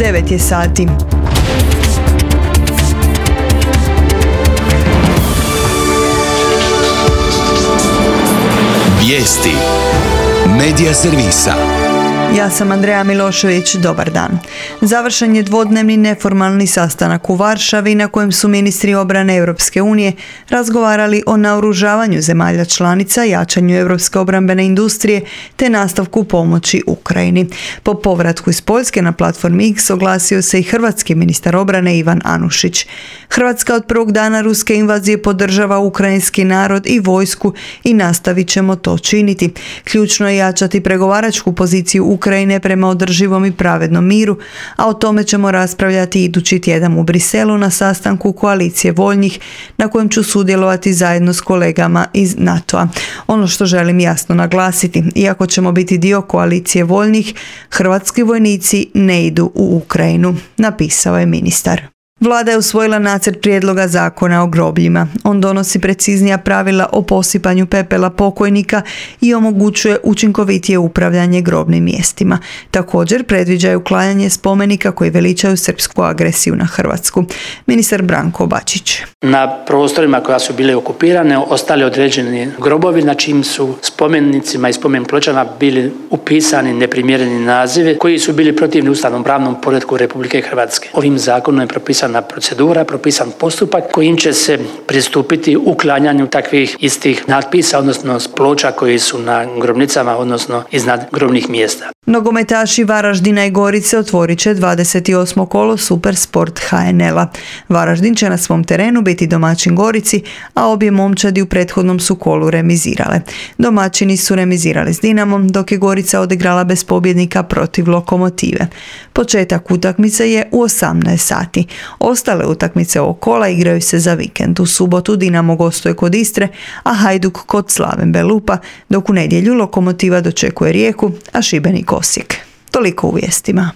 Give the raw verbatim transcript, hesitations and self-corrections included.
devet je sati. Vijesti Medija servisa. Ja sam Andreja Milošević, dobar dan. Završen je dvodnevni neformalni sastanak u Varšavi na kojem su ministri obrane Europske unije razgovarali o naoružavanju zemalja članica, jačanju europske obrambene industrije te nastavku pomoći Ukrajini. Po povratku iz Poljske na platformi X oglasio se i hrvatski ministar obrane Ivan Anušić. Hrvatska od prvog dana ruske invazije podržava ukrajinski narod i vojsku i nastavit ćemo to činiti. Ključno je jačati pregovaračku poziciju Ukrajine prema održivom i pravednom miru, a o tome ćemo raspravljati idući tjedan u Briselu na sastanku koalicije voljnih na kojem ću sudjelovati zajedno s kolegama iz NATO-a. Ono što želim jasno naglasiti, iako ćemo biti dio koalicije voljnih, hrvatski vojnici ne idu u Ukrajinu, napisao je ministar. Vlada je usvojila nacrt prijedloga zakona o grobljima. On donosi preciznija pravila o posipanju pepela pokojnika i omogućuje učinkovitije upravljanje grobnim mjestima. Također predviđa uklanjanje spomenika koji veličaju srpsku agresiju na Hrvatsku. Ministar Branko Bačić. Na prostorima koja su bile okupirane ostali određeni grobovi na čim su spomenicima i spomen pločama bili upisani neprimjereni nazivi koji su bili protivni ustavnom pravnom poretku Republike Hrvatske. Ovim zakonom je propisana procedura, propisan postupak kojim će se pristupiti uklanjanju takvih istih natpisa, odnosno ploča koji su na grobnicama, odnosno iznad grobnih mjesta. Nogometaši Varaždina i Gorice otvorit će dvadeset osmo kolo Super Sport H N L-a. Varaždin će na svom terenu biti domaćin Gorici, a obje momčadi u prethodnom su kolu remizirale. Domaćini su remizirali s Dinamom, dok je Gorica odigrala bez pobjednika protiv Lokomotive. Početak utakmice je u osamnaest sati. Ostale utakmice ovog kola igraju se za vikend. U subotu Dinamo gostuje kod Istre, a Hajduk kod Slaven Belupa, dok u nedjelju Lokomotiva dočekuje Rijeku, a Šibenik Osijek. Toliko u vijestima.